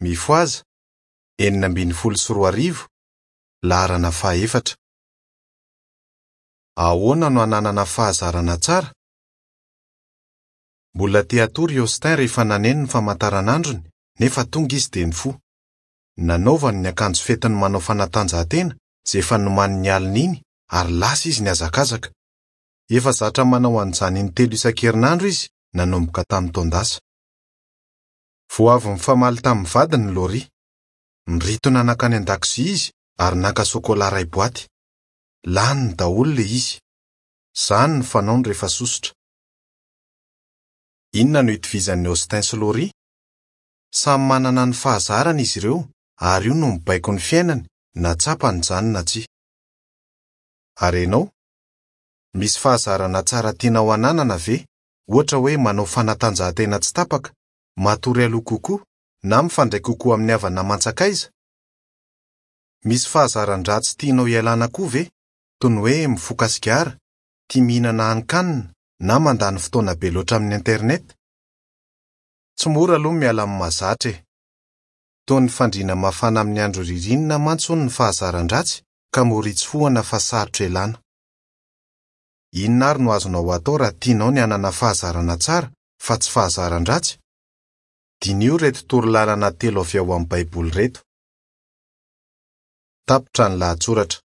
Mifohaza! 2016, laharana fahaefatra. Ahoana no hananana fahazarana tsara? Mbola te hatory i Austin rehefa naneno ny famantaranandrony, nefa tonga izy dia nifoha. Nanaovany ny akanjo fetiny manao fanatanjahantena izay efa nomaniny ny alina iny ary lasa izy nihazakazaka. Efa zatra manao an'izany intelo isan-kerinandro izy nanomboka tamin'ny taon-dasa. Vao avy nifamaly tamin'ny vadiny i Laurie. Nirintona nankany an-dakozia izy ary naka sôkôlà iray boaty. Laniny daholo ilay izy. Izany no fanaony rehefa sosotra. Inona no itovizan'i Austin sy Laurie? Samy manana ny fahazarany izy ireo ary io no mibaiko ny fiainany na tsapany izany na tsia. Ary ianao? Misy fahazarana tsara tianao hananana ve, ohatra hoe manao fanatanjahantena tsy tapaka, matory aloha kokoa, na mifandray kokoa amin'ny havana aman-tsakaiza? Misy fahazaran-dratsy tianao hialana koa ve, toy ny hoe mifoka sigara, tia mihinana hanin-kanina, na mandany fotoana be loatra amin'ny Internet? Tsy mora aloha ny miala amin'ny mahazatra e! Toy ny fandriana mafana amin'ny andro ririnina mantsy hono ny fahazaran-dratsy ka mora itsofohana fa sarotra ialana. Inona ary no azonao atao raha tianao ny hanana fahazarana tsara fa tsy fahazaran-dratsy? Diniho ireto torolalana telo avy ao amin'ny Baiboly ireto. Tapitra ny lahatsoratra.